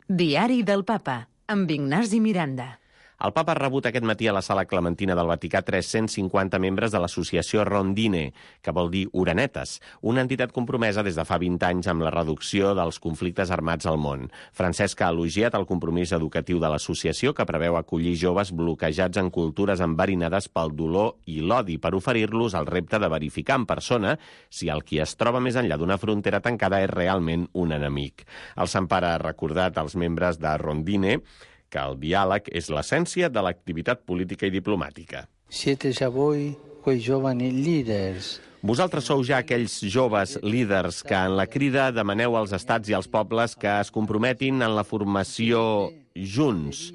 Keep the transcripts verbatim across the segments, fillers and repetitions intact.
Diari del Papa, amb Ignasi Miranda. El papa ha rebut aquest matí a la Sala Clementina del Vaticà tres-cents cinquanta membres de l'associació Rondine, que vol dir Orenetes, una entitat compromesa des de fa vint anys amb la reducció dels conflictes armats al món. Francesc ha elogiat el compromís educatiu de l'associació, que preveu acollir joves bloquejats en cultures enverinades pel dolor i l'odi, per oferir-los el repte de verificar en persona si el qui es troba més enllà d'una frontera tancada és realment un enemic. El Sant Pare ha recordat als membres de Rondine que el diàleg és l'essència de l'activitat política i diplomàtica. Siete già voi quei giovani leaders. Vosaltres sou ja aquells joves líders que en la crida demaneu als estats i als pobles que es comprometin en la formació junts.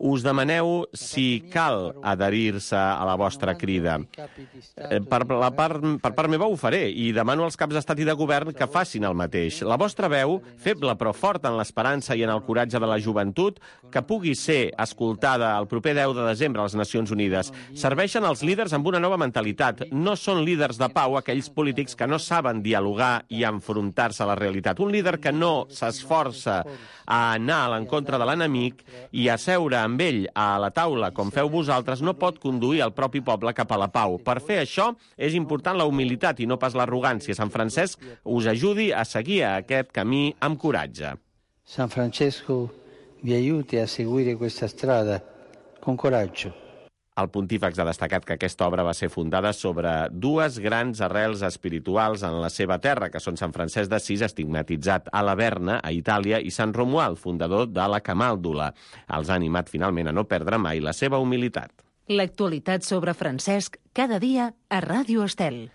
Us demaneu si cal adherir-se a la vostra crida. Per, la part, per part meva ho faré i demano als caps d'estat i de govern que facin el mateix. La vostra veu, feble però forta en l'esperança i en el coratge de la joventut, que pugui ser escoltada el proper deu de desembre a les Nacions Unides. Serveixen els líders amb una nova mentalitat. No són líders de pau aquells polítics que no saben dialogar i enfrontar-se a la realitat. Un líder que no s'esforça a anar a l'encontre de l'enemic i a seure amb ell a la taula, com feu vosaltres, no pot conduir el propi poble cap a la pau. Per fer això és important la humilitat i no pas l'arrogància. Sant Francesc us ajudi a seguir aquest camí amb coratge. San Francesco vi aiuti a seguire questa strada con coraggio. El pontífex ha destacat que aquesta obra va ser fundada sobre dues grans arrels espirituals en la seva terra, que són Sant Francesc d'Assís, estigmatitzat a Laverna, a Itàlia, i Sant Romuald, fundador de la Camàldula. Els ha animat finalment a no perdre mai la seva humilitat. L'actualitat sobre Francesc, cada dia a Ràdio Estel.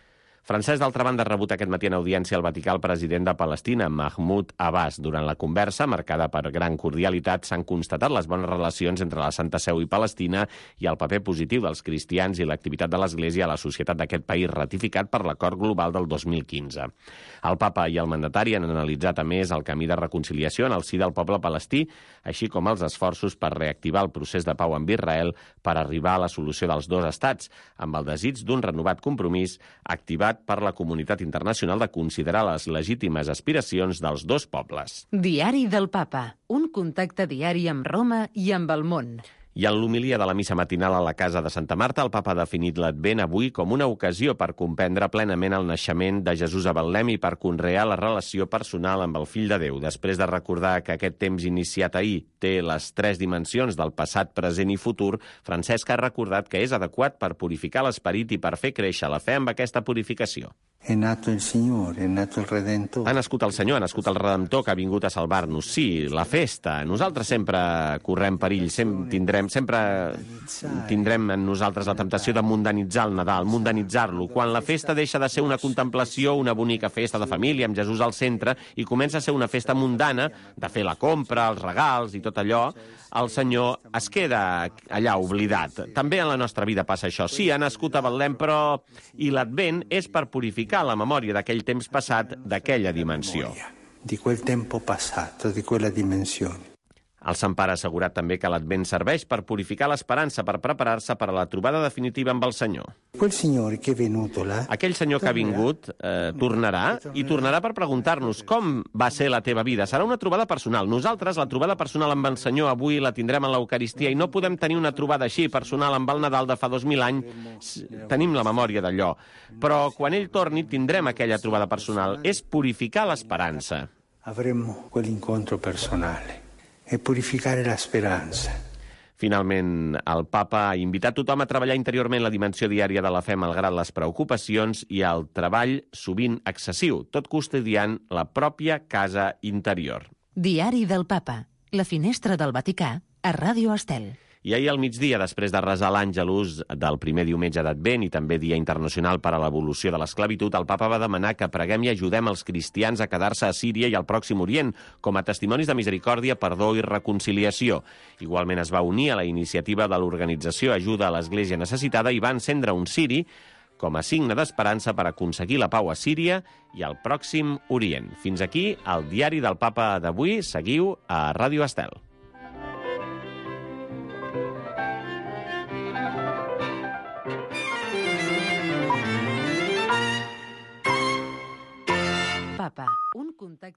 Francesc, d'altra banda, ha rebut aquest matí en audiència al Vaticà el president de Palestina, Mahmoud Abbas. Durant la conversa, marcada per gran cordialitat, s'han constatat les bones relacions entre la Santa Seu i Palestina i el paper positiu dels cristians i l'activitat de l'Església a la societat d'aquest país, ratificat per l'Acord Global del dos mil quinze. El papa i el mandatari han analitzat, a més, el camí de reconciliació en el si del poble palestí, així com els esforços per reactivar el procés de pau amb Israel per arribar a la solució dels dos estats, amb el desig d'un renovat compromís activat per la comunitat internacional de considerar les legítimes aspiracions dels dos pobles. Diari del Papa, un contacte diari amb Roma i amb el món. I en l'homilia de la missa matinal a la Casa de Santa Marta, el papa ha definit l'Advent avui com una ocasió per comprendre plenament el naixement de Jesús a Betlem i per conrear la relació personal amb el Fill de Déu. Després de recordar que aquest temps iniciat ahir té les tres dimensions del passat, present i futur, Francesc ha recordat que és adequat per purificar l'esperit i per fer créixer la fe amb aquesta purificació. È nato il Signore, è nato il Redentore. Ha nascut el Senyor, ha nascut el Redemptor que ha vingut a salvar-nos. Sí, la festa. Nosaltres sempre correm perill, sempre tindrem, sempre tindrem en nosaltres la temptació de mundanitzar el Nadal, mundanitzar-lo. Quan la festa deixa de ser una contemplació, una bonica festa de família amb Jesús al centre i comença a ser una festa mundana, de fer la compra, els regals i tot allò, el Senyor es queda allà oblidat. També en la nostra vida passa això. Sí, ha nascut a Betlem, però i l'Advent és per purificar la memòria d'aquell temps passat, d'aquella dimensió. Di quel tempo passato, di quella dimensione. El Sant Pare ha assegurat també que l'Advent serveix per purificar l'esperança, per preparar-se per a la trobada definitiva amb el Senyor. Quel Signore che è venuto là, Aquell Senyor que ha vingut eh, tornarà i tornarà per preguntar-nos com va ser la teva vida. Serà una trobada personal. Nosaltres la trobada personal amb el Senyor avui la tindrem en l'Eucaristia i no podem tenir una trobada així personal amb el Nadal de fa dos mil anys. Tenim la memòria d'allò. Però quan ell torni tindrem aquella trobada personal. És purificar l'esperança. avremo quell'incontro personale e purificare la speranza. Finalment, el papa ha invitat tothom a treballar interiorment la dimensió diària de la fe malgrat les preocupacions i el treball sovint excessiu, tot custodiant la pròpia casa interior. Diari del Papa, la finestra del Vaticà, a Ràdio Estel. I ahir al migdia, després de resar l'Àngelus del primer diumenge d'Advent i també Dia Internacional per a l'Evolució de l'Esclavitud, el papa va demanar que preguem i ajudem els cristians a quedar-se a Síria i al Pròxim Orient com a testimonis de misericòrdia, perdó i reconciliació. Igualment es va unir a la iniciativa de l'organització Ajuda a l'Església Necessitada i va encendre un ciri com a signe d'esperança per aconseguir la pau a Síria i al Pròxim Orient. Fins aquí el Diari del Papa d'avui. Seguiu a Ràdio Estel. Papa, un contacte